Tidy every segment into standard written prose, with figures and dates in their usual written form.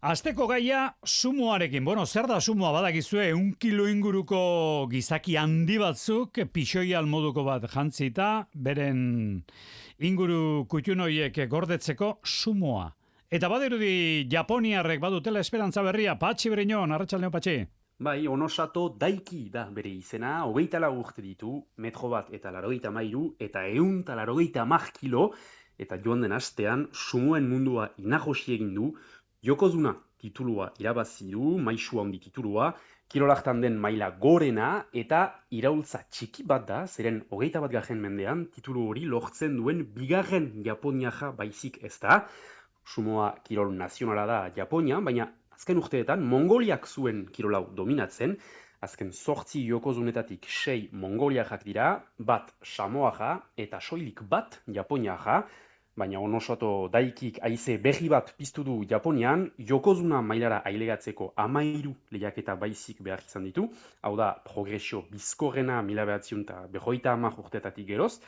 Asteko gaia sumoarekin. Bueno, zer da sumoa badakizue, 1 kilo inguruko gizaki handi batzuk pixoial moduko bat jantzita, beren inguru kutxunoiek gordetzeko sumoa. Eta badirudi Japoniarrek badutela esperantza berria, Patxi Briñon, arratsaldeo Patxi. Bai, Onosato Daiki da bere izena, 24 urte ditu, metro bat eta 93 eta 150 kilo, eta joan den astean sumoen mundua inajosi egin du, Yokozuna titulua irabazi du, maisu handi titulua, kirolaktan den maila gorena eta iraultza txiki bat da, zeren 21. mendean titulu hori lortzen duen bigarren japoniaja baizik ez da. Sumoa kirol nazionala da Japonian, baina azken urteetan Mongoliak zuen kirolau dominatzen, azken 8 Yokozunetatik 6 Mongoliajak dira, bat Samoaja eta soilik bat Japoniaja, baina Onosato Daikik haize berri bat piztu du Japonian, Yokozuna mailara ailegatzeko 13 lehiaketa baizik behar izan ditu, hau da progresio bizkorrena 1950 urtetatik geroz,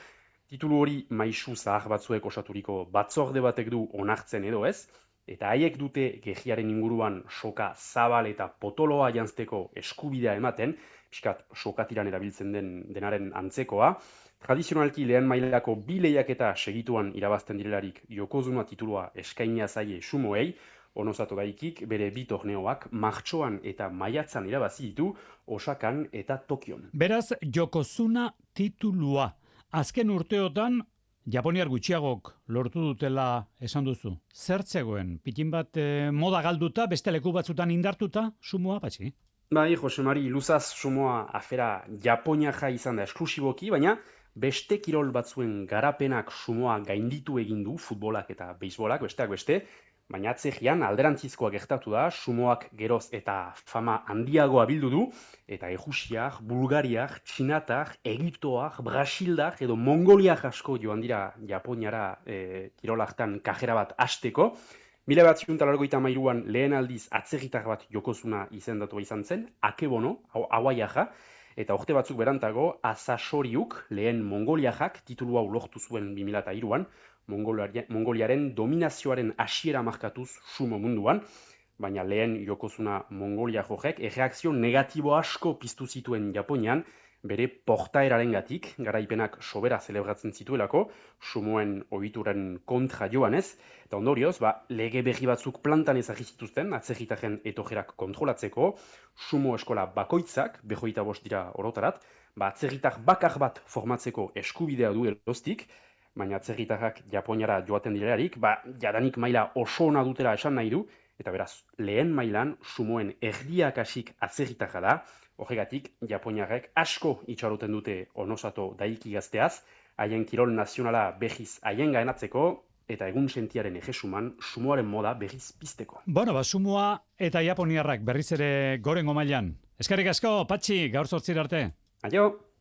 titulu hori maisu zahar batzuek osaturiko batzorde batek du onartzen edo ez, eta haiek dute gehiaren inguruan soka zabal eta potoloa jantzteko eskubidea ematen, pixkat sokatiran erabiltzen denaren antzekoa. Tradizionalki lehen mailako 2 lehiaketa segituan irabazten direlarik Yokozuna titulua eskainia zaie sumoei, Onosato Daikik bere 2 torneoak martxoan eta maiatzan irabazi ditu Osakan eta Tokion. Beraz, Yokozuna titulua. Azken urteotan, Japoniar gutxiagok lortu dutela esan duzu. Zer zegoen? Pitin bat moda galduta, beste leku batzutan indartuta, sumoa, Patxi? Bai, Josemari, luzaz sumoa afera Japoniaja izan da esklusiboki, baina beste kirol batzuen garapenak sumoa gainditu egin du, futbolak eta beisbolak, besteak beste, baina atzegian alderantzizkoa gertatu da, sumoak geroz eta fama handiagoa bildu du, eta ejusiak, bulgariak, txinatak, egiptoak, brasildak edo mongoliak asko joan dira Japoniara kirolaktan kajera bat hasteko. 1993an lehen aldiz atzegitar bat Yokozuna izendatua izan zen, Akebono, Hawaiiaja, eta urte batzuk berantago, Asasoriuk, lehen Mongoliajak, titulu hau lortu zuen 2003an, Mongoliaren dominazioaren hasiera markatuz sumo munduan, baina lehen Yokozuna Mongolia jojek erreakzio negatibo asko piztu zituen Japonian, bere portaerarengatik, garaipenak sobera zelebratzen zituelako, sumoen ohituren kontra joanez, eta ondorioz, lege berri batzuk plantan ezagri zituzten, atzegitaren etojerak kontrolatzeko, sumo eskola bakoitzak, 25 dira orotarat, atzegitar bakar bat formatzeko eskubidea du erostik, baina atzegitarrak Japoniara joaten direlarik, jadanik maila oso ona dutela esan nahi du, eta beraz, lehen mailan sumoen erdiak hasik atzegitarra da, horregatik, Japoniarrek asko itxaroten dute Onosato Daiki gazteaz, haien kirol nazionala behiz haien gaenatzeko, eta egun sentiaren ejesuman sumoaren moda berriz pizteko. Bueno, sumoa eta Japoniarrak berriz ere gorengo mailan. Eskerrik asko, Patxi, gaur 8 arte. Aio!